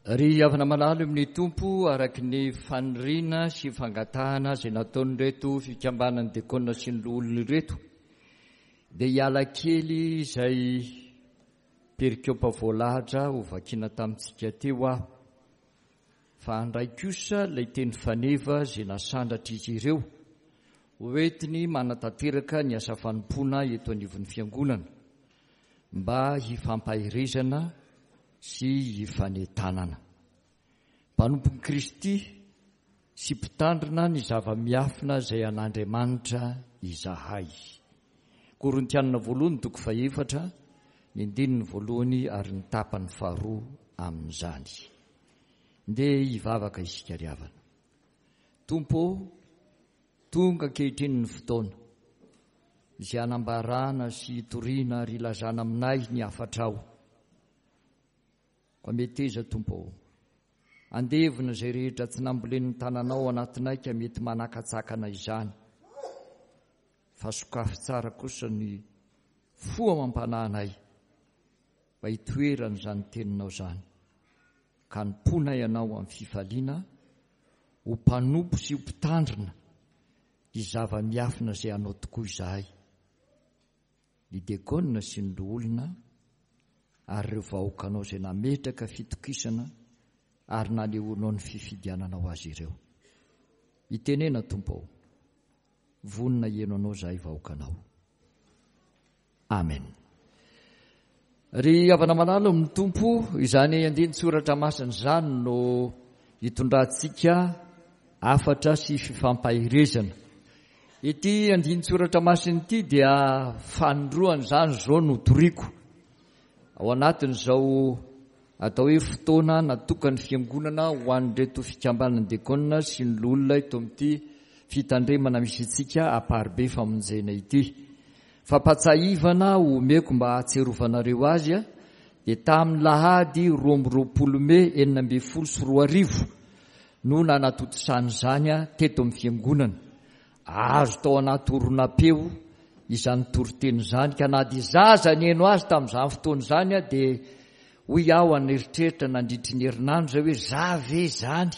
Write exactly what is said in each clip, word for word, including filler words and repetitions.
Ry havana malala amin'ny Tompo, araka ny faniriana sy fangatahana izay nataon'ireto fikambanan'ny diakona sy ny loholona ireto, dia hiala kely izay perikopa voalahatra ho vakiana tamintsika teo aho, fa handray kosa ilay teny faneva izay nasandratr'izy ireo hoentiny manatanteraka ny asa fanompoana eto anivon'ny fiangonana mba hifampaherezana sy hifanentanana. Mpanompon'i Kristy sy mpitandrina ny zava-miafina izay an'Andriamanitra izahay. Korintianina voalohany toko fahefatra, ny andininy voalohany ary ny tapany faharoa amin'izany. Ndeha hivavaka isika ry havana. Tompo ô, tonga ankehitriny ny fotoana izay hanambarana sy hitoriana ary hilazana aminay ny hafatrao. Koa meteza, Tompo ô, handevona izay rehetra tsy nambolen'ny tananao ao anatinay ka mety manakatsakana izany, fa sokafy tsara kosa ny fo amam-panahinay mba hitoeran'izany teninao izany, ka hanompoanay Anao amin'ny fifaliana, ho mpanompo sy ho mpitandrina ny zava-miafina izay Anao tokoa izahay, ny diakona sy ny loholona ary ireo vahoakanao izay nametraka fitokisana ary nanehoanao ny fifidiananao azy ireo. Mitenena, Tompo ô, vonona hihaino Anao izahay vahoakanao. Amen. Ry havana malala amin'ny Tompo, izany andinin-tsoratra masina izany no hitondrantsika hafatra sy fifampaherezana. Ity andinin-tsoratra masina ity dia fanindroany izany izao no toriko. Ao anatin'izao atao hoe fotoana natokan'ny fiangonana ho an'ireto fikambanan'ny diakona sy ny loholona eto amin'ity fitandremana misy antsika Amparibe Famonjena ity. Fampahatsiahivana omeko mba hahatsiarovanareo azy dia tamin'ny lahady roa amby roapolo mey enina ambin'ny folo sy roa arivo no nanatontosana izany teto amin'ny fiangonana. Azo tao anaty horonam-peo izany toriteny izany, ka na dia zaza nihaino azy tamin'izany fotoana izany dia hoy aho an'eritreritra nandritry ny herinandro izay hoe za ve izany?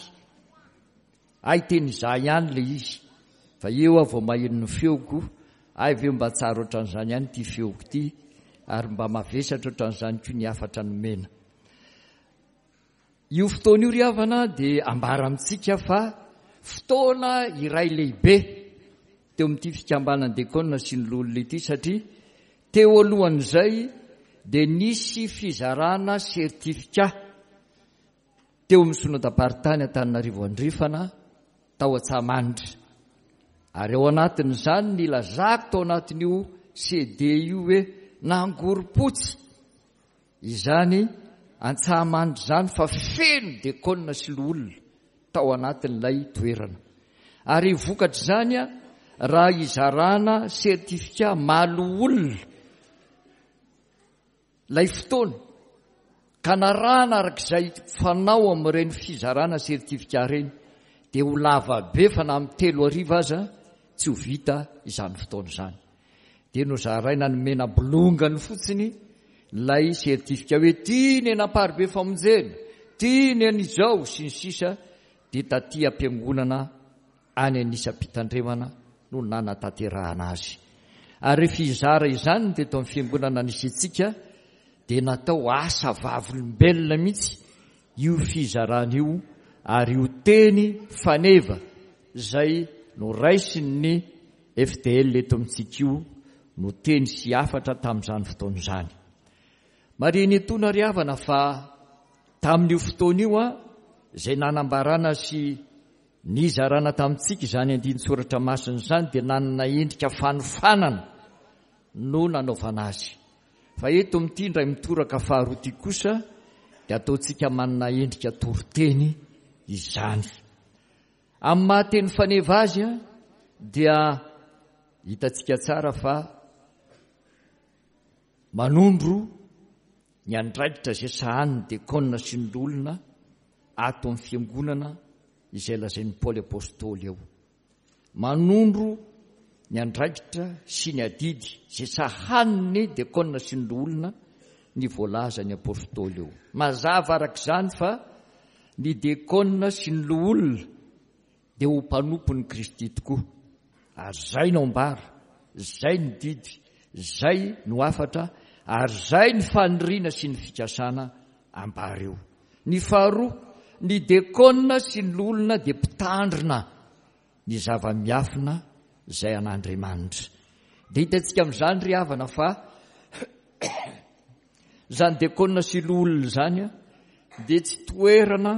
Hay teny izaho ihany ilay izy, fa eo aho vao maheno ny feoko, hay ve mba tsara ohatran'izany ihany ity feoko ity, ary mba mavesatra ohatran'izany koa ny hafatra nomena. Io fotoana io ry havana dia ambara amintsika fa fotoana iray lehibe teo amin'ity fikambanan'ny diakona sy ny loholona ity, satria teo alohan'izay dia nisy fizarana sertifika teo amin'ny synodam-paritany Antananarivo Andrefana tao Antsahamanitra. Ary ao anatin'izany nilazako tao anatin'io C D io hoe nangorom-potsy izany Antsahamanitra izany fa feno diakona sy loholona tao anatin'ilay toerana. Ary vokatr'izany raha izarana sertifika maha-loholona ilay fotoana ka narahana arak'izay fanao amin'ireny fizarana sertifika ireny dia ho lava be fa na amin'ny telo arivo aza tsy ho vita izany fotoana izany. Dia nozaraina ny mena bolongany fotsiny ilay sertifika hoe ty ny Amparibe Famonjena, ty ny an'izao sy ny sisa, dia taty am-piangonana any anisam-pitandremana no nanatanterahana azy. Ary rehefa hizara izany teto amin'ny fiangonana nisy antsika dia natao asa vavolombelona mihitsy io fizarana io, ary io teny faneva izay noraisin'ny F D L eto amintsika io no teny sy hafatra tamin'izany fotoana izany. Marihina etoana ry havana fa tamin'io fotoana io izay nanambarana sy nizarana tamintsika izany andinin-tsoratra masina izany dia nanana endrika fanofanana no nanaovana azy. Fa eto amin'ity indray mitoraka faharoa ity kosa dia ataontsika manana endrika toriteny izany. Amin'ny maha teny faneva azy dia hitantsika tsara fa manondro ny andraikitra izay sahanin'ny diakona sy ny loholona ato amin'ny fiangonana izay lazain'i Paoly Apostoly eo. Manondro ny andraikitra sy ny adidy izay sahanin'ny diakona sy ny loholona ny voalazan'ny Apostoly eo. Mazava araka izany fa ny diakona sy ny loholona dia ho mpanompon'i Kristy tokoa. Ary izay no ambara, izay ny didy, izay no hafatra, ary izay ny faniriana sy ny fikasana ambara eo. Ny faharoa, ny diakona sy ny loholona dia mpitandrina ny zava-miafina izay an'Andriamanitra. Dia hitantsika amin'izany ry havana fa izany diakona sy loholona izany dia tsy toerana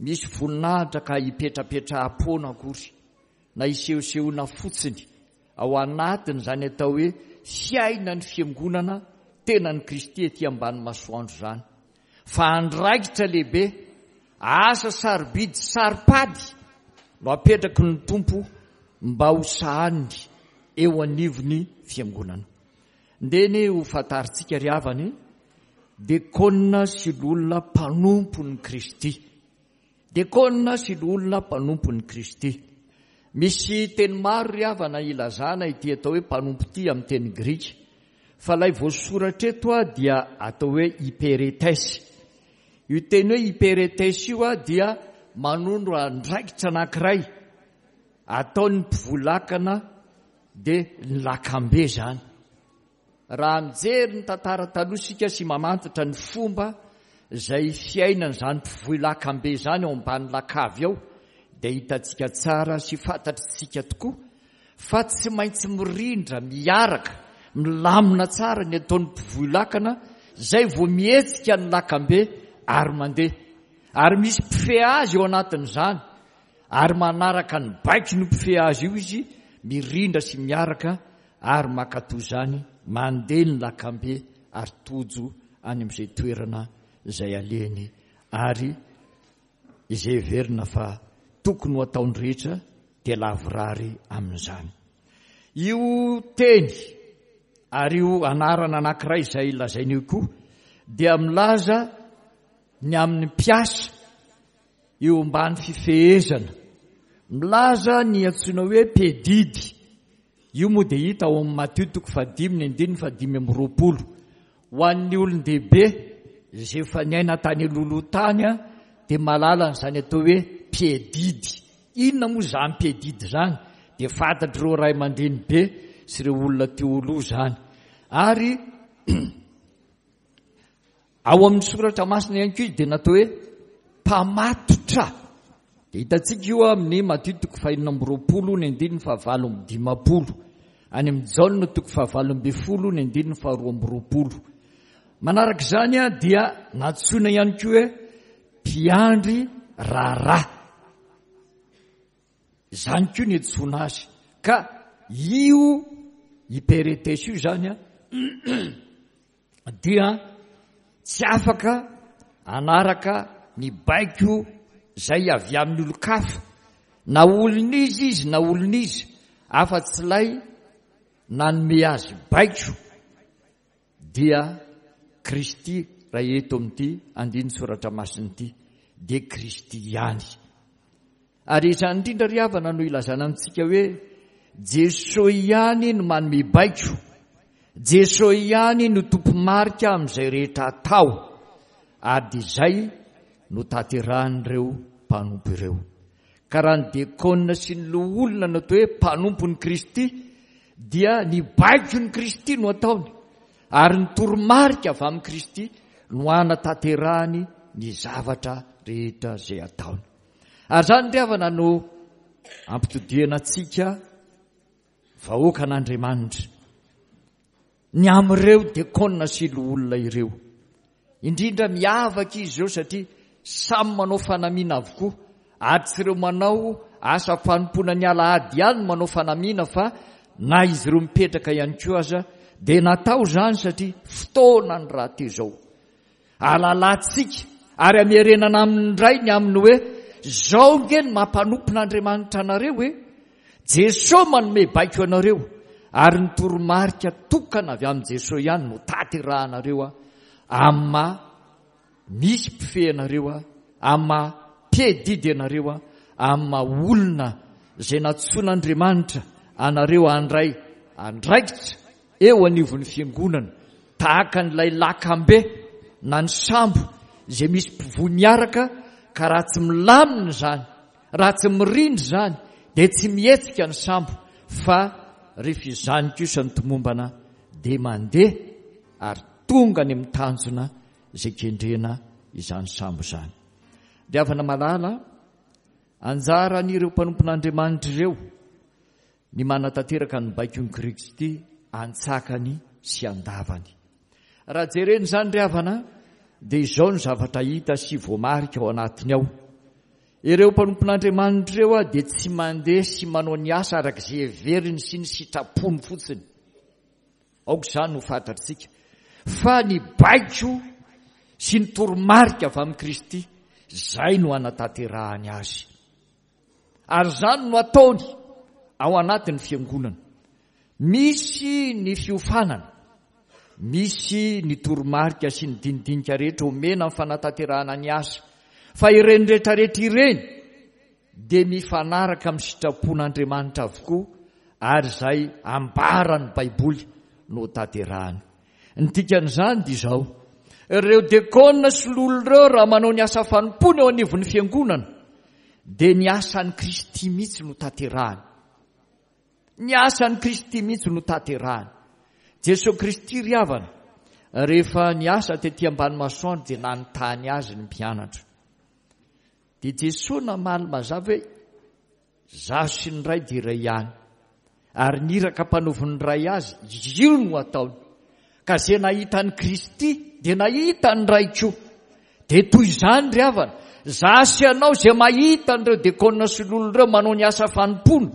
misy voninahitra ka hipetrapetraham-poana akory na hisehosehoana fotsiny ao anatin'izany atao hoe fiainan'ny fiangonana tenan'i Kristy ety ambany masoandro izany, fa andraikitra lehibe, asa sarobidy saro-pady no apetraky ny Tompo mba ho sahaniny eo anivon'ny fiangonana. Ndeha anie ho fantarintsika ry havana e, diakona sy loholona mpanompon'i Kristy. Diakona sy loholona mpanompon'i Kristy. Misy teny maro ry havana ilazana ity atao hoe mpanompo ity amin'ny teny grika, fa ilay voasoratra eto dia atao hoe hyperetes. Io teny hoe hyperetes io dia manondro andraikitra anankiray ataon'ny mpivolakana, dia ny lakambe izany. Raha mijery ny tantara taloha isika sy mamantatra ny fomba izay fiainan'izany mpivoy lakambe izany ao ambany lakavy ao, dia hitantsika tsara sy fantatritsika tokoa fa tsy maintsy mirindra, miaraka, milamina tsara ny ataon'ny mpivoy lakana izay vao mihetsika ny lakambe ary mandeha. Ary misy mpifehy azy eo anatin'izany, ary manaraka ny baiko ny mpifehy azy io izy, mirindra sy miaraka ary mankatò izany, mandeha ny lakambe ary tojo any amin'izay toerana izay alehany ary izay heverina fa tokony ho ataony rehetra dia lavorary amin'izany. Io teny ary io anarana anankiray izay lazaina io koa dia milaza ny amin'ny mpiasa eo ambany fifehezana, milaza ny antsoina hoe mpiadidy. Io moa dia hita ao amin'ny Matio toko fahadimy ny andininy fahadimy amby roapolo. Ho an'ny olon-dehibe izay efa niaina tany alohaloha tany dia mahalala an'izany atao hoe mpiadidy. Inona moa izany mpiadidy izany? Dia fantatr'ireo ray aman-dreny be sy ireo olona teo aloha izany. Ary ao amin'ny soratra masina ihany koa izy dia natao hoe mpamatotra. Dia hitantsika io amin'ny Matio toko fahenina amby roapolo ny andininy fahavalo amby dimampolo, any amin'ny Jaona toko fahavalo ambin'ny folo ny andininy faharoa amby roapolo. Manaraka izany dia nantsoina ihany koa hoe mpiandry raharaha. Izany koa ny antsoina azy. Ka io hyperetes io izany dia tsy afaka hanaraka ny baiko izay avy amin'ny olon-kafa, na olon'iza izy na olon'iza, afa-tsy ilay nanome azy baiko, dia Kristy. Raha eto amin'ity andinin-tsoratra masina ity dia Kristy ihany. Ary izany indrindra ry havana no ilazana amintsika hoe Jesoa ihany no manome baiko, Jesoa ihany no tompo-marika amin'izay rehetra atao, ary dia izay no tanterahan'ireo mpanompo ireo. Ka raha ny diakona sy ny loholona no atao hoe mpanompon'i Kristy, dia ny baikon'i Kristy no ataony, ary ny toromarika avy amin'i Kristy no hanatanterahany ny zavatra rehetra izay ataony. Ary izany ry havana no ampitodihana antsika vahoakan'Andriamanitra ny amin'ireo diakona sy loholona ireo. Indrindra miavaka izy ireo satria samy manao fanamiana avokoa, ary tsy ireo manao asa fanompoana ny alahady ihany no manao fanamiana, fa na izy ireo mipetraka ihany koa aza dia natao izany satria fotoana ny rahateo izao. Alalantsika ary amerenana aminy indray ny amin'ny hoe izao nge ny mampanompon'Andriamanitra anareo e. Jesoa manome baiko anareo, ary ny toromarika tokana avy amin'i Jesoa ihany no tanterahanareo amin'ny maha misy mpifehy anareo, amin'ny maha mpiadidy anareo, amin'ny maha olona izay nantsoin'Andriamanitra anareo handray andraikitra eo anivon'ny fiangonana, tahaka an'ilay lakambe na ny sambo izay misy mpivoy miaraka Ka raha tsy milamina izany, raha tsy mirindra izany, dia tsy mihetsika ny sambo, fa rehefa izany kosa ny tomombana dia mandeha ary tonga any amin'ny tanjona izay kendrena izany sambo izany. Ry havana malala, anjaran'ireo mpanompon'Andriamanitra ireo ny manatanteraka ny baikon'i Kristy antsakany sy andavany. Raha jerena izany ry havana, dia izao ny zavatra hita sy voamarika ao anatiny ao. Ireo mpanompon'Andriamanitra ireo dia tsy mandeha sy manao ny asa araka izay heveriny sy ny sitrapony fotsiny. Aoka izany no fantatsika. Fa ny baiko sy ny toromarika avy amin'i Kristy, izay no hanatanterahany azy. Ary izany no ataony ao anatin'ny fiangonana. Misy ny fiofanana, misy ny toromarika sy ny dinidinika rehetra omena amin'ny fanatanterahana ny asa. Fa ireny rehetrarehetra ireny dia mifanaraka amin'ny sitrapon'Andriamanitra avokoa, ary izay ambaran'ny Baiboly no tanterahany. Ny dikan'izany dia izao: ireo dekona sy loholona ireo raha manao ny asa fanompoana eo anivon'ny fiangonana dia ny asan'i Kristy mihitsy no tanterahany. Ny asan'i Kristy mihitsy no tanterahany. Jesoa Kristy ry havana, rehefa niasa tety ambany masoandro dia nanontany azy ny mpianatra. Dia Jesoa namaly mazava hoe, Izaho sy ny Ray dia iray ihany. Ary ny iraka mpanovin'ny Ray azy, io no ataony. Ka izay nahita an'i Kristy dia nahita ny Ray koa. Dia toy izany ry havana, izaho sy ianao izay mahita an'ireo dekona sy loholona ireo manao ny asa fanompoana,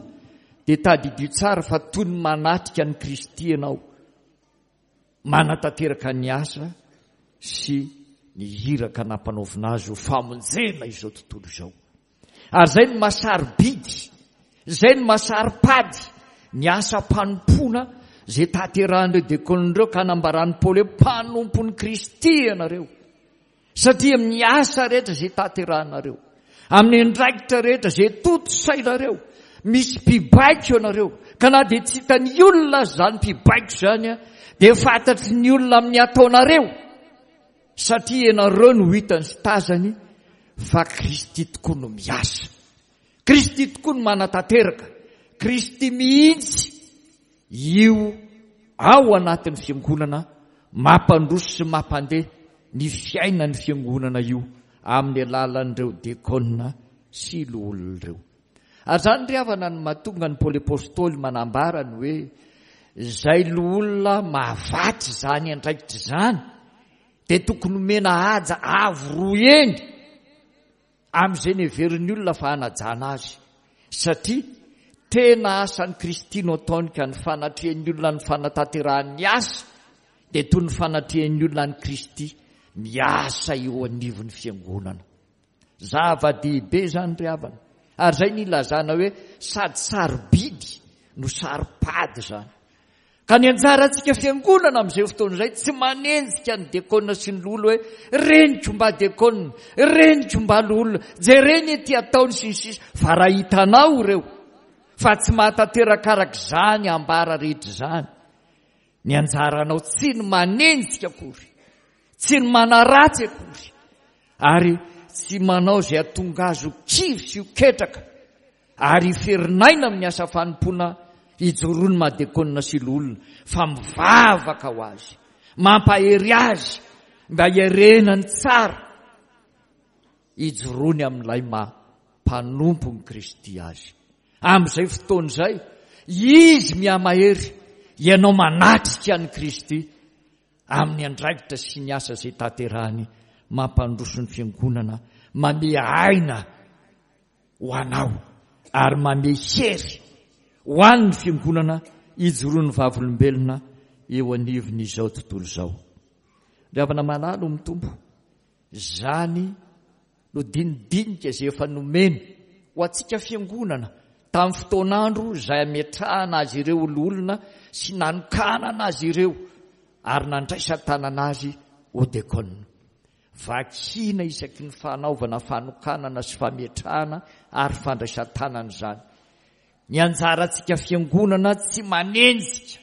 dia tadidio tsara fa toy ny manatrika an'i Kristy ianao, manatanteraka ny asa sy ny iraka nampanaovina azy ho famonjena izao tontolo izao. Ary izay no mahasarobidy, izay no mahasaropady ny asam-panompoana izay tanterahan'ireo dekona ireo, ka nambaran'i Paoly hoe mpanompon'i Kristy ianareo. Satria amin'ny asa rehetra izay tanterahanareo, amin'ny andraikitra rehetra izay tontosainareo, misy mpibaiko ianareo. Ka na dia tsy hitan'ny olona aza izany mpibaiko izany, dia fantatry ny olona amin'ny ataonareo, satria ianareo no hitany sy tazany fa Kristy tokoa no miasa. Kristy tokoa no manatanteraka. Kristy mihitsy io ao anatin'ny fiangonana mampandroso sy mampandeha ny fiainan'ny fiangonana io amin'ny alalan'ireo dekona sy loholona ireo. Ary izany ry havana no mahatonga ny Paoly Apostoly manambara ny hoe izay loholona mahavatsy izany andraikitra izany dia tokony homena haja avo roa heny amin'izay neverin'ny olona fa hanajana azy, satria tena asan'i Kristy no ataony, ka ny fanatrehan'ny olona ny fanatanterahan'ny asa dia toy ny fanatrehan'ny olona an'i Kristy miasa eo anivon'ny fiangonana. Zava-dehibe izany ry havana. Ary izay nilazana hoe sady sarobidy no saropady izany. Ka ny anjarantsika fiangonana amin'izay fotoana izay tsy manenjika ny dekona sy ny loholona hoe reniko mba dekona, reniko mba loholona, jereny ety ataony sy ny sisa, fa raha hitanao ireo fa tsy mahatanteraka araka izany ambara rehetra izany, ny anjaranao tsy ny manenjika akory, tsy ny manaratsy akory, ary tsy manao izay hahatonga azy ho kivy sy ho ketraka ary hiferinaina amin'ny asa fanompoana ijoroan'ny maha-dekona sy loholona, fa mivavaka ho azy, mampahery azy mba hiarenany tsara, ijoroany amin'ilay maha mpanompon'i Kristy azy. Amin'izay fotoana izay, izy mihamahery, ianao manatrika an'i Kristy amin'ny andraikitra sy ny asa izay tanterahany mampandroso ny fiangonana, mamehy aina ho anao ary mamehy hery ho an'ny fiangonana ijoroan'ny vavolombelona eo anivon'izao tontolo izao. Ry havana malala ao amin'ny Tompo, izany no dinidinika izay efa nomeny ho antsika fiangonana tamin'ny fotoan'andro izay ametrahana azy ireo ho loholona sy nanokanana azy ireo ary nandraisan-tanana azy ho dekona. Vakiana isaky ny fanaovana fanokanana sy fametrahana ary fandraisan-tanana izany. Ny anjarantsika fiangonana tsy manenjika,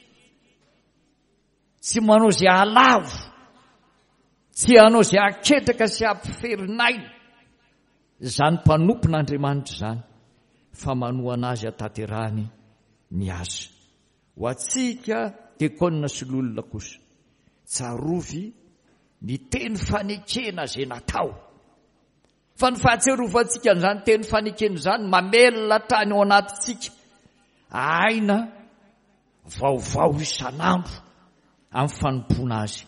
tsy manao izay hahalavo, tsy hanao izay haketraka sy hampiferin'aina, izany mpanompon'Andriamanitra izany fa manohana azy hatanterahany ny asa. Ho antsika diakona sy loholona kosa, tsarovy ny teny fanekena izay natao. Fa ny fahatsiarovantsika an'izany teny fanekena izany mamelona hatrany ao anatintsika aina vaovao isan'andro amin'ny fanompoana azy.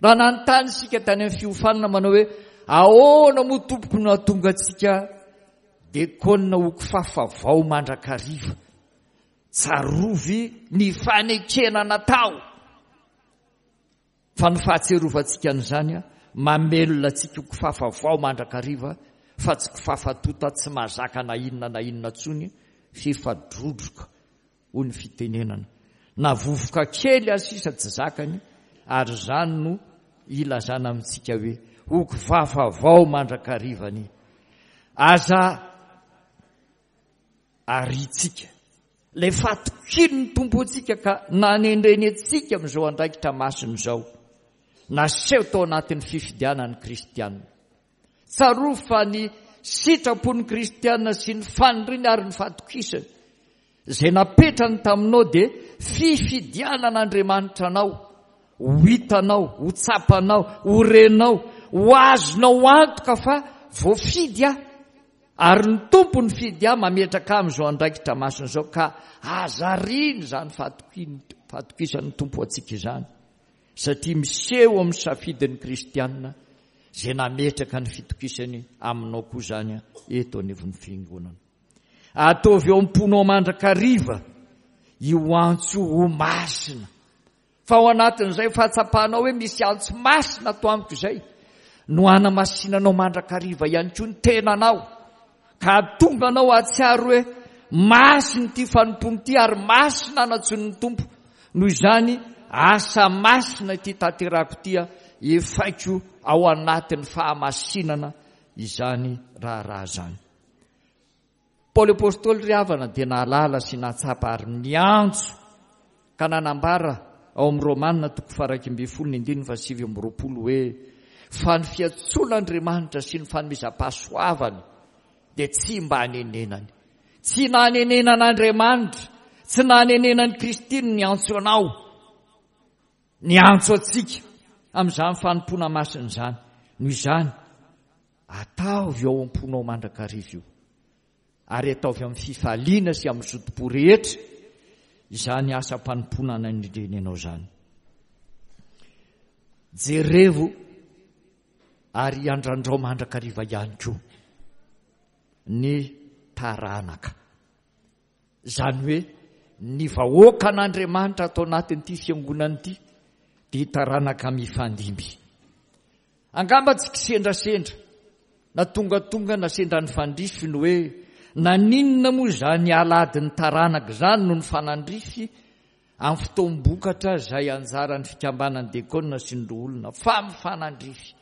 Raha nanontany isika tany amin'ny fiofanana manao hoe ahoana moa tompoko no hahatonga antsika diakona ho kifafa vao mandrakariva, tsarovy ny fanekena natao. Fa ny fahatsiarovantsika an'izany mamelona antsika ho kifafa vao mandrakariva fa tsy kifafa tota tsy mahazaka na inona na inona intsony f'efa drodroka hoy ny fitenenana. Na vovoka kely aza sisa tsy zakany, ary izany no ilazana amintsika hoe ho kifafa vao mandrakariva anie. Aza arintsika ilay fatokian'ny Tompo antsika ka nanendreny antsika amin'izao andraikitra masina izao, naseho tao anatin'ny fifidianan'ny kristianina. Tsarovy fa ny sitrapon'ny kristianina sy ny faniriany ary ny fatokisany izay napetrany taminao dia fifidianan'Andriamanitra anao, ho hitanao, ho tsapanao, ho renao, ho azonao antoka fa voafidy aho ary ny Tompo nifidy ahy mametraka amin'izao andraikitra masina izao, ka aza ariana izany fahatokisan'ny Tompo antsika izany, satria miseho amin'ny safidin'ny kristianina izay nametraka ny fitokisany aminao koa izany eto anivon'ny fiangonana. Ataovy eo am-ponao mandrakariva io antso ho masina, fa ao anatin'izay fahatsapanao hoe misy antso masina ato amiko izay no hanamasinanao mandrakariva ihany koa ny tenanao, ka hahatonga anao hahatsiaro hoe masina ity fanompoana ity ary masina anantsoin'ny Tompo. Noho izany asa masina ity tanterako ity, efaiko ao anatin'ny fahamasinana izany raharaha izany. Paoly Apostoly ry havana dia nahalala sy nahatsapa ary niantso ka nanambara ao amin'ny Romana toko faha-iraika ambin'ny folo ny andininy fahasivy amby roapolo hoe fa ny fiantsoan'Andriamanitra sy ny fanomezam-pahasoavany dia tsy mba hanenenany. Tsy nanenenan'Andriamanitra, tsy nanenenan'i Kristy ny niantso anao, niantso antsika amin'izany fanompoana masina izany. Noho izany, ataovy ao am-ponao mandrakariva io, ary ataovy amin'ny fifaliana sy amin'ny zotom-po rehetra izany asam-panompoana nanendreny anao izany. Jerevo ary andrandrao mandrakariva ihany koa ny taranaka, izany hoe ny vahoakan'Andriamanitra atao anatin'ity fiangonana ity dia taranaka mifandimby. Angamba tsy kisendrasendra na tongatonga na sendra nifandrify ny hoe naninona moa izany alahadin'ny taranaka izany no nifanandrify amin'ny fotoam-bokatra izay anjaran'ny fikambanan'ny diakona sy ny loholona, fa mifanandrify.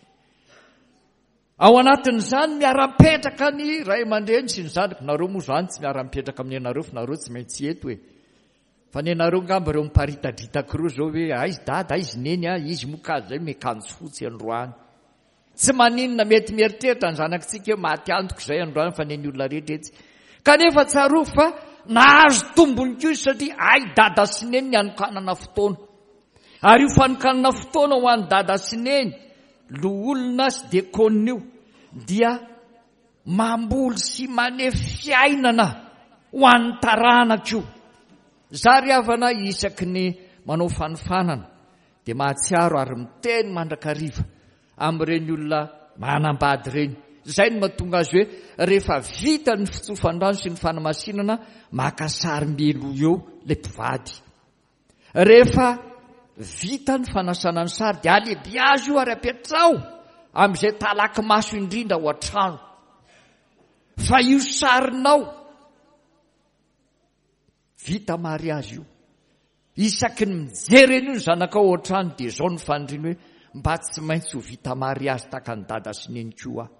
Ao anatin'izany miara-mipetraka ny ray aman-dreny sy ny zanaka. Nareo moa izany tsy miara-mipetraka amin'ny anareo fa nareo tsy maintsy eto e. Fa ny anareo angamba ireo miparitadritaka ireo izao hoe aiza dada, aiza neny a, izy moa ka izay miakanjo fotsy androany. Tsy maninona, mety mieritreritra ny zanakitsika hoe maty antoka izay androany fa ny olona rehetra etsy. Kanefa tsarovy fa nahazo tombony koa izy satria ay dada sy neny ny hanokanana fotoana. Ary io fanokanana fotoana ho an'ny dada sy neny, loholona sy diakona io, dia mamboly sy maneho fiainana ho an'ny taranaka io. Za ry havana isaky ny manao fanofanana dia mahatsiaro ary miteny mandrakariva amin'ireny olona manambady ireny. Izay no mahatonga azy hoe rehefa vita ny fitsofan-drano sy ny fanamasinana, maka sary mialoha eo ilay mpivady. Rehefa vita ny fanasana ny sary dia alehibiazo io ary apetraho amin'izay talaky maso indrindra ao an-trano. Fa io sarinao vita mariazy io, isaky ny mijery an'io ny zanakao ao an-trano dia izao ny faniriany hoe mba tsy maintsy ho vita mariazy tahaka ny dada sy neny koa aho.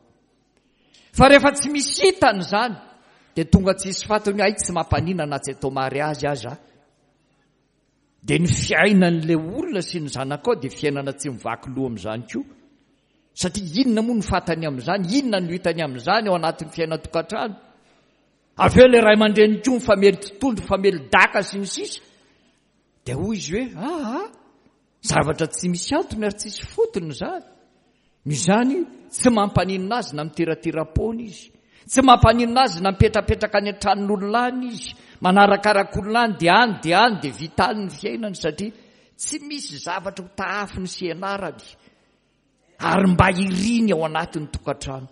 Fa rehefa tsy misy hitany izany dia tonga tsisy fatiny hoe ay tsy mampanina na tsy atao mariazy aza. Dia ny fiainan'ilay olona sy ny zanakao dia fiainana tsy mivaky loha amin'izany koa. Satria inona moa no fantany amin'izany, inona no hitany amin'izany ao anatin'ny fiainan-tokantrano. Avy eo ilay ray aman-dreniny koa mifamely totohondry, mifamely daka sy ny sisa. Dia hoy izy hoe, aa, zavatra tsy misy antony ary tsisy fotony izany. Noho izany, tsy mampaninona azy na miteratera-poana izy. Tsy mampaninona azy na mipetrapetraka any an-tranon'olona any izy. Manarakaraka olona any dia any dia any dia vita any ny fiainany satria tsy misy zavatra ho tahafiny sy ianarany. Ary mba iriny ao anatin'ny tokantrano.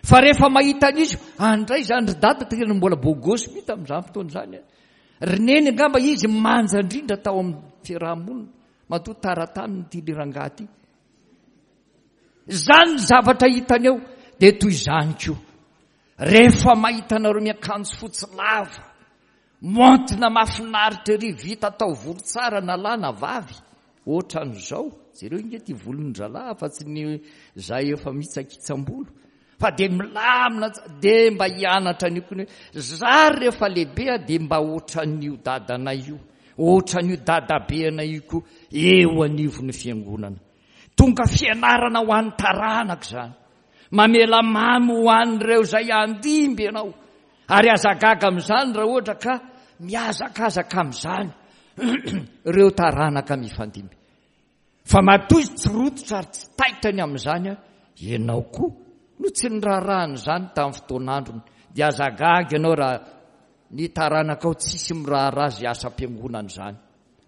Fa rehefa mahita an'izy, andray izany ry dada, tena mbola beau gosse mihitsy tamin'izany fotoana izany. Ry neny angamba izy manja indrindra tao amin'ny fiarahamonina. Matoa tara taminy ity le rangahy ity. Izany ny zavatra hitany eo, dia toy izany koa. Rehefa mahita anareo miakanjo fotsy lava, maontina mahafinaritra ery, vita taovolo tsara na lahy na vavy, ohatran'izao, jereo inge ity volon-dralahy fa tsy ny zay efa mitsakitsam-bolo, fa dia milamina tsara, dia mba hianatra an'io koa ny hoe, za rehefa lehibe aho dia mba ohatran'io dadanay io, ohatran'io dadabeanay io koa eo anivon'ny fiangonana. Tonga fianarana ho an'ny taranaka izany. Mamela mamy ho an'ireo izay handimby ianao. Ary aza gaga amin'izany raha ohatra ka mihazakazaka amin'izany ireo taranaka mifandimby. Fa matoa izy tsy rototra ary tsy taitra ny amin'izany, ianao koa no tsy niraharaha an'izany tamin'ny fotoan'androny. Dia aza gaga ianao raha ny taranakao tsisy miraharaha izay asam-piangonana izany.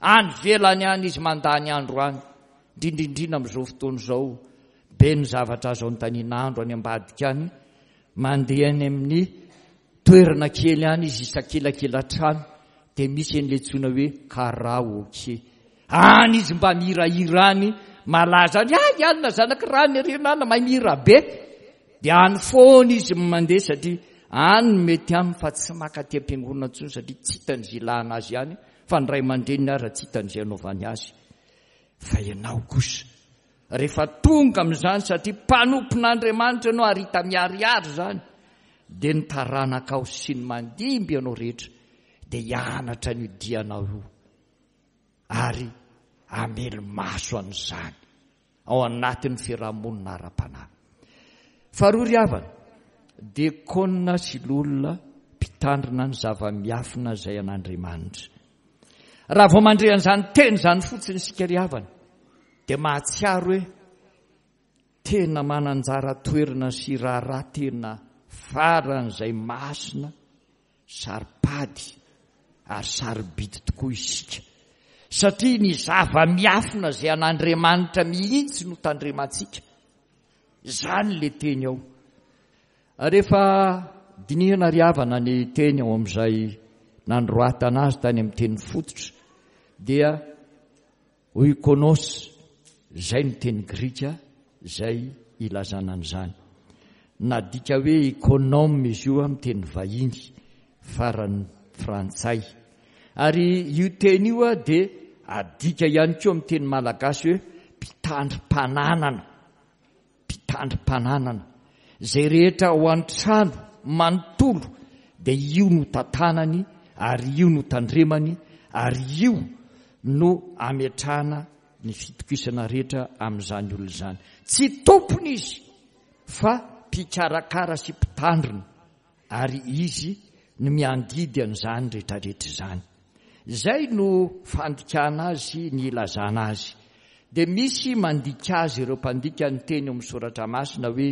Any ivelany any izy mandany andro any, indrindra indrindra amin'izao fotoana izao, be ny zavatra azo anontaniana andro any ambadika any, mandeha any amin'ny toerana kely any izy isakelakela trano, dia misy an'ilay antsoina hoe karaoke. Any izy mba mihirahira any, malaza any, ay alina zanak'i rany ery nana, mahay mihira be. Dia any foana izy mandeha satria any no mety aminy fa tsy maka aty am-piangonana intsony satria tsy hitany izay ilana azy any, fa ny ray aman-dreniny ara tsy hitany izay anaovany azy. Fa ianao kosa, rehefa tonga amin'izany satria mpanompon'Andriamanitra ianao ary hita miharihary izany, dia ny taranakao sy ny mandimby ianao rehetra dia hianatra an'io dianao io ary hamely maso an'izany ao anatin'ny fiarahamonina ara-panahy. Faharoa ry havana, diakona sy loholona mpitandrina ny zava-miafina izay an'Andriamanitra. Raha vao mandre an'izany teny izany fotsiny isika ry havana, dia mahatsiaro hoe tena manan-jara toerana sy raharaha tena faran'izay masina, saro-pady ary sarobidy tokoa isika. Satria ny zava-miafina izay an'Andriamanitra mihitsy no tandremantsika. Izany ilay teny ao. Rehefa dinihana ry havana ny teny ao amin'izay nandroatana azy tany amin'ny teny fototra, dia oikonos, izay no teny grika izay ilazana an'izany. Nadika hoe économe izy io amin'ny teny vahiny, farany frantsay. Ary io teny io dia adika ihany koa amin'ny teny malagasy hoe mpitandrim-pananana. Mpitandrim-pananana. Izay rehetra ao an-trano manontolo dia io no tantanany ary io no tandremany ary io no ametrahana ny fitokisana rehetra amin'izany olona izany. Tsy tompony izy fa mpikarakara sy mpitandrina ary izy no miandidy an'izany rehetrarehetra izany. Izay no fandikana azy, ny ilazana azy. Dia misy mandika azy ireo mpandika ny teny ao amin'ny soratra masina hoe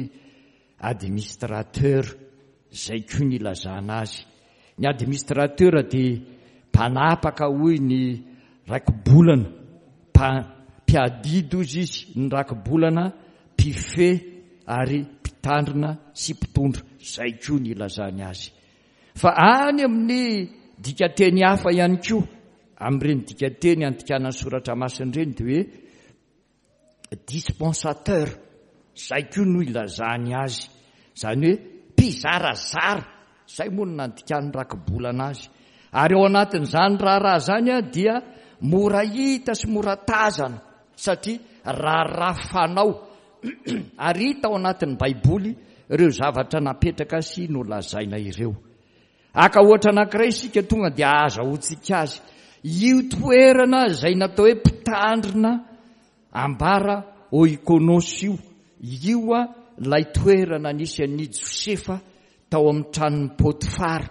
administrateur, izay koa ny ilazana azy. Ny administrateur dia mpanapaka hoy ny rakibolana, mpiadidy hozy izy, ny rakibolana, mpifehy ary mpitandrina sy mpitondra, izay koa ny ilazany azy. Fa any amin'ny dikateny hafa ihany koa, amin'ireny dikateny andikana ny soratra masina ireny dia hoe dispensateur, izay koa no ilazany azy, izany hoe mpizarazara, izay moa no nandikan'ny rakibolana azy. Ary ao anatin'izany raharaha izany dia mora hita sy mora tazana satria raharaha fanao ary hita ao anatin'ny Baiboly ireo zavatra napetraka sy nolazaina ireo. Haka ohatra anankiray isika tonga dia ahazahoantsika azy. Io toerana izay natao hoe mpitandrina ambara oikonos io io a ilay toerana nisy an'i Josefa tao amin'ny tranon'i Potifara.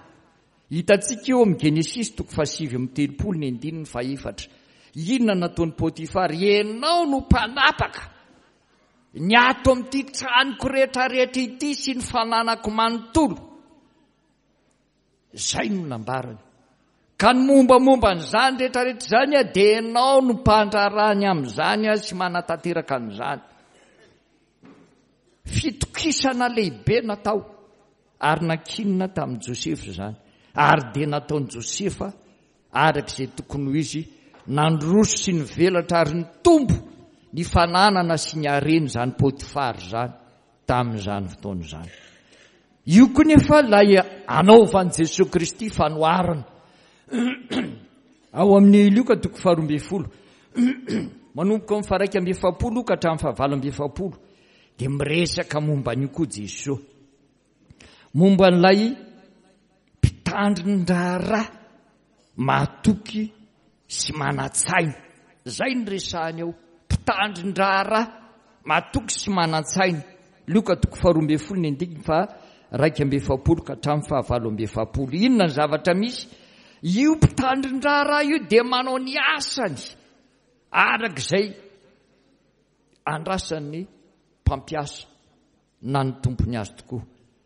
Hitantsika eo amin'ny Genesisy toko fahasivy amby telopolo ny andininy fahefatra. Inona nataon'i Potifara? Ianao no mpanapaka ny ato amin'ity tranoko rehetrarehetra ity sy ny fananako manontolo. Izay no nambarany. Ka ny mombamomba an'izany rehetrarehetra izany dia ianao no mpandraharaha ny amin'izany sy manatanteraka an'izany. Fitokisana lehibe natao ary nankinina tamin'i Josefa izany. Ary dia nataon'i Josefa araka izay tokony ho izy, nandroso sy nivelatra ary nitombo ny fananana sy ny harena izany Potifara izany tamin'izany fotoana izany. Io koa nefa ilay anaovan'i Jesoa Kristy fanoharana ao amin'ny Lioka toko faharoa ambin'ny folo manomboka amin'ny faharaika amby efapolo ka hatramin'ny fahavalo amby efapolo dia miresaka momba an'io koa Jesoa, momba an'ilay mpitandrin-draharaha mahatoky sy manan-tsaina. Izay no resahany ao, mpitandrin-draharaha mahatoky sy manan-tsaina. Lioka toko faharoa ambin'ny folo ny andininy faharaika amby efapolo ka hatramin'ny fahavalo amby efapolo. Inona ny zavatra misy? Io mpitandrin-draharaha io dia manao ny asany araka izay andrasan'ny mpampiasa na ny tompony azy tokoa.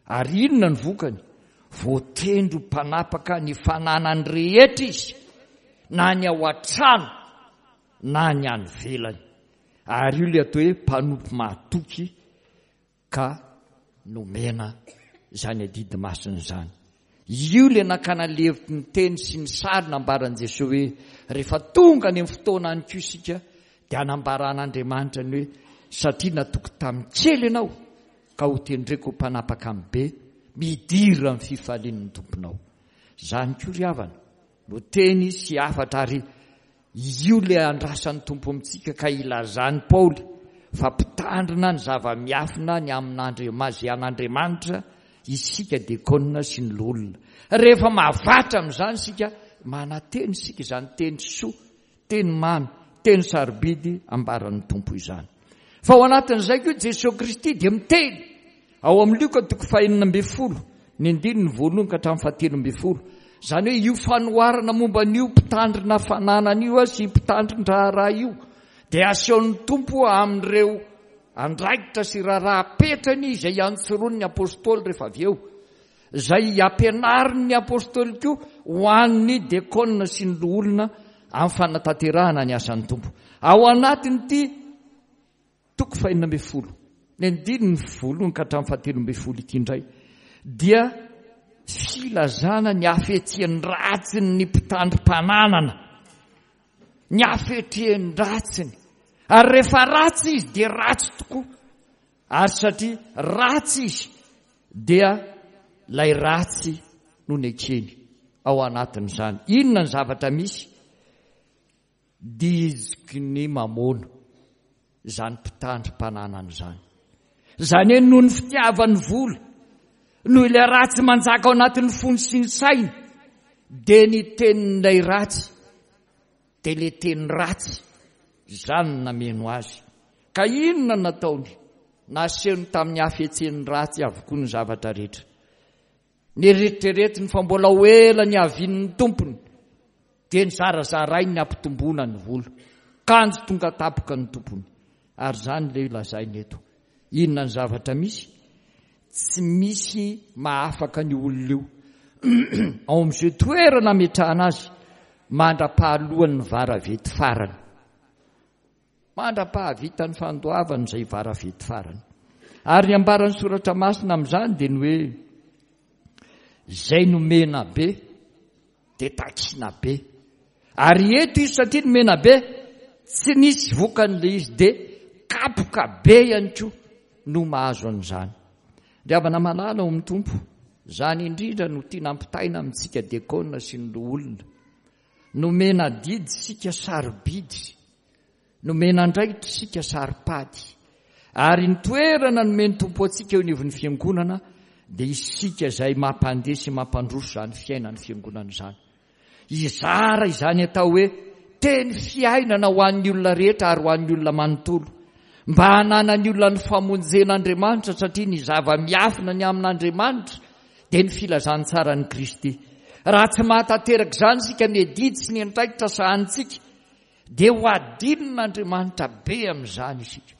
Ary inona ny vokany? Voatendro mpanapaka ny fananany rehetra izy, na ny ao an-trano na ny any ivelany. Ary io ilay atao hoe mpanompo mahatoky ka nomena izany adidy masina izany. Io ilay nakana levitry ny teny sy ny sary nambaran'i Jesoa hoe rehefa tonga any amin'ny fotoana any koa isika dia hanambaran'Andriamanitra ny hoe satria natoky tamin'ny kely ianao ka ho tendreko ho mpanapaka amin'ny be, midira amin'ny fifalian'ny tomponao. Izany koa ry havana no teny sy hafatra, ary io ilay andrasan'ny Tompo amintsika ka ilazan'i Paoly fa mpitandrina ny zava-miafina ny amin'Andriamanitra, izay an'Andriamanitra isika diakona sy ny loholona. Rehefa mahavatra amin'izany isika, manantena isika izany teny soa, teny mamy, teny sarobidy ambaran'ny Tompo izany. Fa ao anatin'izay koa Jesoa Kristy dia miteny ao amin'ny Lioka toko fahenina ambin'ny folo ny andininy voalohany ka hatramin'ny fahatelo ambin'ny folo. Izany hoe io fanoharana momba an'io mpitandrina fananana io sy mpitandrin-draharaha io dia asehon'ny Tompo amin'ireo andraikitra sy raharaha apetrany izay iantsoron'ny apôstôly rehefa avy eo, izay ampianarin'ny apôstôly koa ho an'ny diakona sy ny loholona amin'ny fanatanterahana ny asan'ny Tompo. Ao anatin'ity toko fahenina ambin'ny folo ny andininy voalohany ka hatramin'ny fahatelo ambin'ny folo ity indray dia filazana ny hafetsen-dratsin'ny mpitandrim-pananana, ny hafetsen-dratsiny. Ary rehefa ratsy izy dia ratsy tokoa, ary satria ratsy izy dia ilay ratsy no nekeny ao anatin'izany. Inona ny zavatra misy? Diziky ny mamono izany mpitandrim-pananana izany. Izany hoe noho ny fitiavan'ny vola, noho ilay ratsy manjaka ao anatin'ny fony sy ny sainy, dia ny tenin'ilay ratsy, dia ilay teny ratsy izany no nameno azy. Ka inona no nataony? Nasehony tamin'ny hafetsen'ny ratsy avokoa ny zavatra rehetra. Neritreretiny fa mbola ho ela ny havian'ny tompony, dia nizarazarainy ny hampitomboana ny vola. Kanjo tonga tampoka ny tompony. Ary izany ilay lazainy eto. Inona ny zavatra misy? Tsy misy mahafaka ny olona io ao amin'izay toerana ametrahana azy mandra-pahaloan'ny varavety farany. Mandra-pahavitan'ny fandoavana izay varavety farany. Ary ny ambaran'ny soratra masina amin'izany dia ny hoe izay nomena be dia takina be. Ary eto izy satria nomena be, tsy nisy vokany ilay izy, dia kapoka be ihany koa no mahazo an'izany. Ry havana malala ao amin'ny Tompo, izany indrindra no tiana ampitaina amintsika diakona sy ny loholona. Nomena adidy isika sarobidy, nomena andraikitra isika saropady. Ary ny toerana nomen'ny Tompo antsika eo anivon'ny fiangonana dia isika izay mampandeha sy mampandroso izany fiainan'ny fiangonana izany. Hizara izany atao hoe teny fiainana ho an'ny olona rehetra ary ho an'ny olona manontolo. Mba hananan'ny olona ny famonjen'Andriamanitra, satria ny zava-miafina ny amin'Andriamanitra dia ny filazantsaran'i Kristy. Raha tsy mahatanteraka izany isika, ny adidy sy ny andraikitra sahanintsika, dia ho adinon'Andriamanitra be amin'izany isika.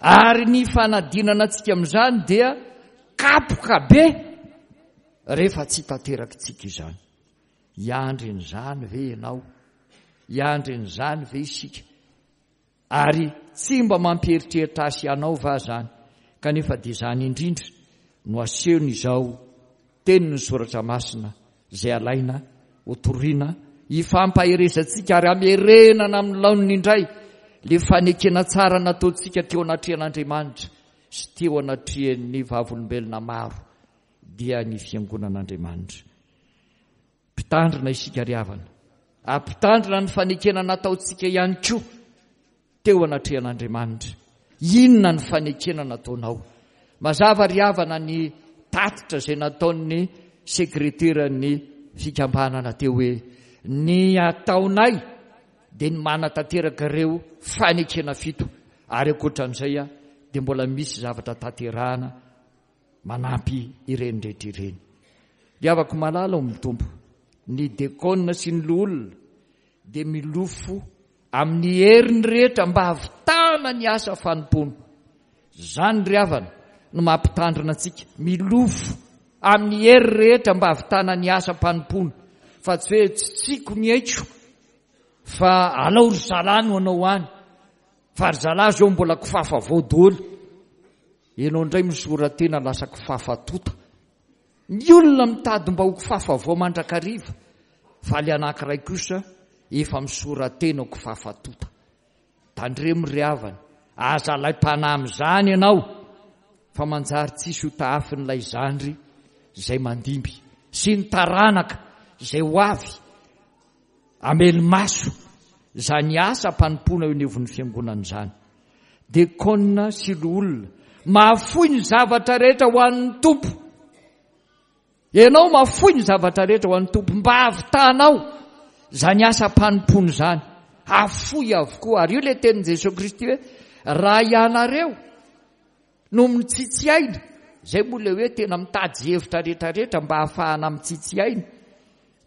Ary ny fanadinana antsika amin'izany dia kapoka be rehefa tsy tanterakitsika izany. Hiandry an'izany ve ianao? Hiandry an'izany ve isika? Ary tsy mba mampieritreritra ahy sy ianao va izany? Kanefa dia izany indrindra no asehony izao tenin'ny Soratra Masina izay alaina hotorina hifampaherezantsika ary hamerenana amin'ny laoniny indray ilay fanekena tsara nataontsika teo anatrehan'Andriamanitra sy teo anatrehan'ny vavolombelona maro, dia ny fiangonan'Andriamanitra. Mpitandrina isika ry havana, ampitandrina ny fanekena nataontsika ihany koa teo anatrehan'Andriamanitra. Inona ny fanekena nataonao? Mazava ry havana ny tatitra izay nataon'ny sekreteran'ny fikambanana teo hoe ny ataonay dia ny manatanteraka ireo fanekena fito, ary ankoatran'izay dia mbola misy zavatra tanterahana manampy ireny rehetra ireny. Ry havako malala ao amin'ny Tompo, ny dekona sy ny loholona dia milofo amin'ny heriny rehetra mba hahavitana ny asa fanompoana. Izany ry havana no mampitandrina antsika, milofo amin'ny hery rehetra mba hahavitana ny asa fanompoana, fa tsy hoe tsy tsiko ny aiko fa alao ry zalahy no hanao any, fa ry zalahy zao mbola kifafa vao daholo. Ianao indray misora-tena lasa kifafa tota. Ny olona mitady mba ho kifafa vao mandrakariva, fa ilay anankiray kosa efa misora-tena ho kifafa tota. Tandremo ry havana, aza alaim-panahy amin'izany ianao, fa manjary tsisy ho tahafin'ilay zandry izay mandimby sy ny taranaka izay ho avy hamely maso izany asa mpanompoana eo anivon'ny fiangonana izany. Dekona sy loholona mahafoy ny zavatra rehetra ho an'ny Tompo. Ianao mahafoy ny zavatra rehetra ho an'ny Tompo mba hahavitanao izany asa mpanompoana izany. Hafoy avokoa. Ary io ilay tenin'i Jesoa Kristy hoe raha ianareo no mitsitsy aina, izay moa ilay hoe tena mitady hevitra rehetrarehetra mba hahafahana mitsitsy aina,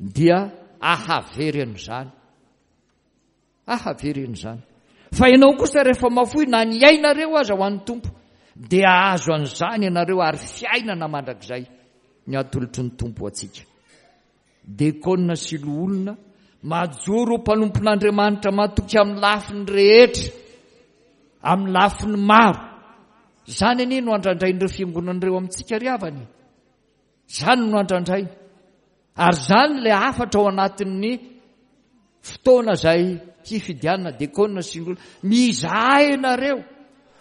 dia ahavery an'izany. Ahavery an'izany. Fa ianao kosa rehefa mafoy na ny ainareo aza ho an'ny Tompo, dia hahazo an'izany ianareo ary fiainana mandrakizay ny atolotry ny Tompo ho antsika. Dekona sy loholona majoro ho mpanompon'Andriamanitra matoky amin'ny lafiny rehetra, amin'ny lafiny maro. Izany anie no andrandrain'ireo fiangonana ireo amintsika ry havana. Izany no andrandrainy. Ary izany ilay hafatra ao anatin'ny fotoana izay hifidianana dekona sy loholona. Mizaha ianareo,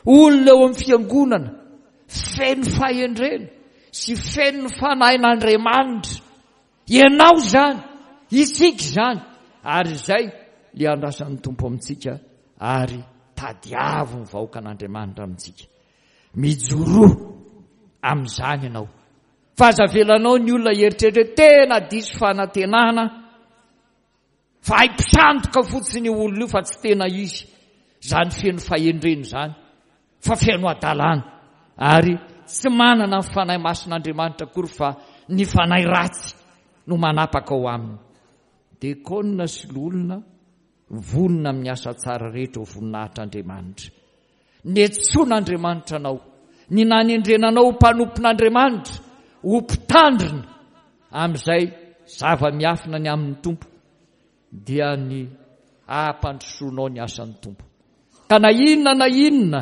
olona eo amin'ny fiangonana feno fahendrena sy feno ny fanahin'Andriamanitra. Ianao izany, isika izany, ary izay ilay andrasan'ny Tompo amintsika, ary tadiavo ny vahoakan'Andriamanitra amintsika. Mijoroa amin'izany ianao. Fa aza avelanao ny olona hieritreritra hoe tena diso fanantenana, fa hay mpisandoka fotsiny io olona io fa tsy tena izy. Izany feno fahendrena izany, fa feno hadalana, ary tsy manana ny Fanahy Masin'Andriamanitra akory fa ny fanahy ratsy no manapaka ao aminy. Dekona sy loholona vonona amin'ny asa tsara rehetra ho voninahitr'Andriamanitra. Niantsoan'Andriamanitra anao, ny nanendrena anao ho mpanompon'Andriamanitra, ho mpitandrina amin'izay zava-miafina ny amin'ny Tompo, dia ny hampandrosoanao ny asan'ny Tompo. Ka na inona na inona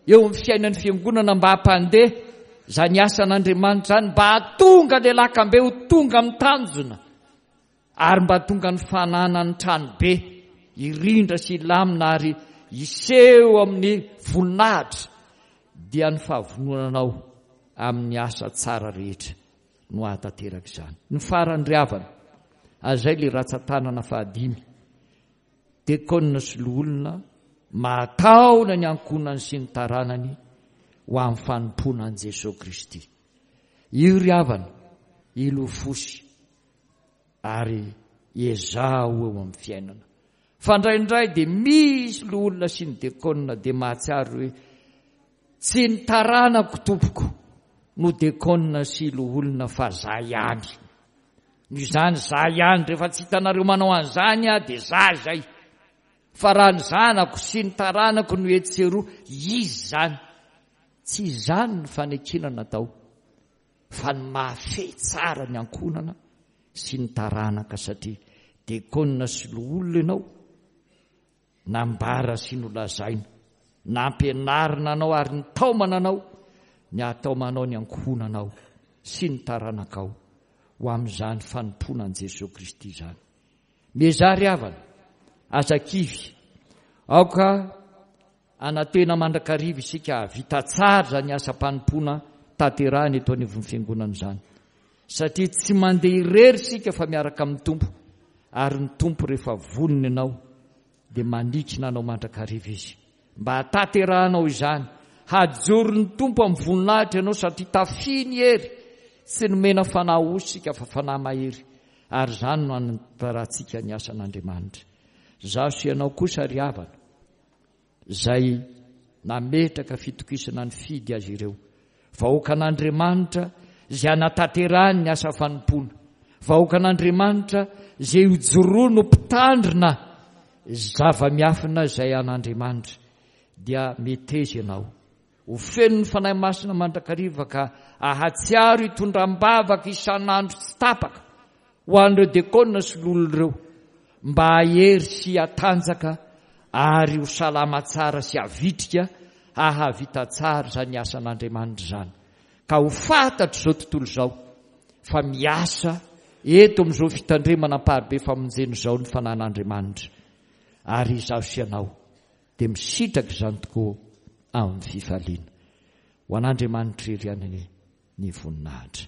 eo amin'ny fiainan'ny fiangonana mba hampandeha izany asan'Andriamanitra izany, mba hahatonga ilay lakambe ho tonga amin'ny tanjona, ary mba tonga ny fananan'ny tranobe hirindra sy hilamina ary hiseho amin'ny voninahitra, dia ny fahavononanao amin'ny asa tsara rehetra no hahatanteraka izany. Ny farany ry havana, ary izay ilay ratsan-tanana fahadimy, dekona sy loholona mahataona ny ankohonany sy ny taranany ho amin'ny fanompoana an'i Jesoa Kristy. Io ry havana, ilofosy ary ezaho eo amin'ny fiainana. Fa indraindray dia misy loholona sy ny dekona dia mahatsiaro hoe tsy ny taranako tompoko no dekona sy loholona fa za ihany. Noho izany za ihany, rehefa tsy hitanareo manao an'izany aho dia za izay. Fa raha ny zanako sy ny taranako no etsy sy eroa, izy izany. Tsy izany ny fanekena natao, fa ny mahafehy tsara ny ankohonana sy ny taranaka, satria dekona sy loholona ianao, nambara sy nolazaina, nampianarina anao ary nitaomana anao ny hataomanao ny ankohonanao sy ny taranakao ho amin'izany fanompoana an'i Jesoa Kristy izany. Miezaha ry havana, aza kivy, aoka hanantena mandrakariva isika hahavita tsara izany asam-panompoana tanterahina eto anivon'ny fiangonana izany, satria tsy mandeha irery isika fa miaraka amin'ny Tompo, ary ny Tompo rehefa vonona ianao dia manikina anao mandrakariva Izy mba hahatanterahanao izany. Hajoron'ny Tompo amin'ny voninahitra ianao satria tafihiny hery. Tsy nomena fanahy osa isika fa fanahy mahery, ary izany no hanantarantsika ny asan'Andriamanitra. Izaho sy ianao kosa ry havana, izay nametraka fitokisana nifidy azy ireo, vahoakan'Andriamanitra izay hanatanterahany ny asa fanompoana, vahoakan'Andriamanitra izay hojoroany ho mpitandrina zava-miafina izay an'Andriamanitra, dia meteza ianao ho feno ny Fanahy Masina mandrakariva ka ahatsiaro hitondra am-bavaka isan'andro tsy tapaka ho an'ireo dekona sy loholona ireo mba hahery sy hatanjaka ary ho salama tsara sy havitrika hahavita tsara izany asan'Andriamanitra izany, ka ho fantatr'izao tontolo izao fa miasa eto amin'izao fitandremana amparibe famonjena izao ny Fanahin'Andriamanitra, ary izaho sy ianao dia misitraka izany tokoa amin'ny fifaliana. Ho an'Andriamanitra irery ihany anie ny voninahitra.